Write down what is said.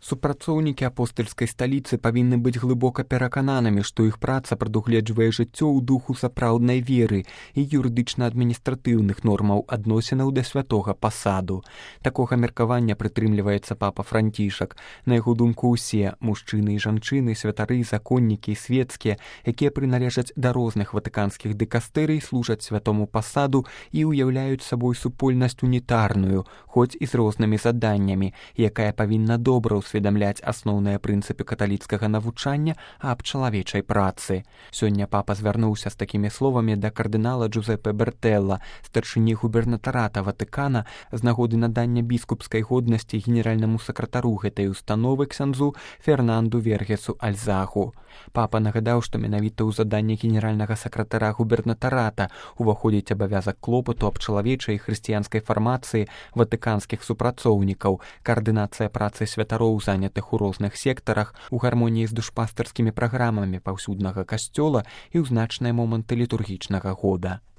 Супрацоўнікі апостальскай сталіцы павінны быць глыбока перакананымі, што іх праца прадугледжвае жыццё ў духу сапраўднай веры і юрыдычна-адміністратыўных нормаў адносінаў да святога пасаду. Такога меркавання прытрымліваецца папа Францішак. На яго думку, усе мужчыны і жанчыны, святары, законнікі і свецкія, якія прыналежаць да розных ватыканскіх дыкастэрый, служаць святому пасаду і ўяўляюць сабой супольнасць унітарную, хоць і з рознымі заданнямі, якая павінна добра усведамляць асноўныя прынцыпы каталіцкага навучання аб чалавечай працы. Сёння папа звярнуўся з такімі словамі да кардынала Джузеппе Бертэлла, старшыні губернатарата Ватыкана, з нагоды надання біскупскай годнасці генеральнаму сакратару гэтай установы ксяндзу Фернанду Вергесу Альзаху. Папа нагадаў, што менавіта ў заданне генеральнага сакратара губернатарата уваходзіць абавязак клопату аб чалавечай і хрысціянскай фармацыі ватыканскіх супрацоўнікаў, каардынацыя працы святароў, занятых у розных сектарах, у гармоніі з душпастарскімі праграмамі паўсюднага касцёла і ў значныя моманты літургічнага года.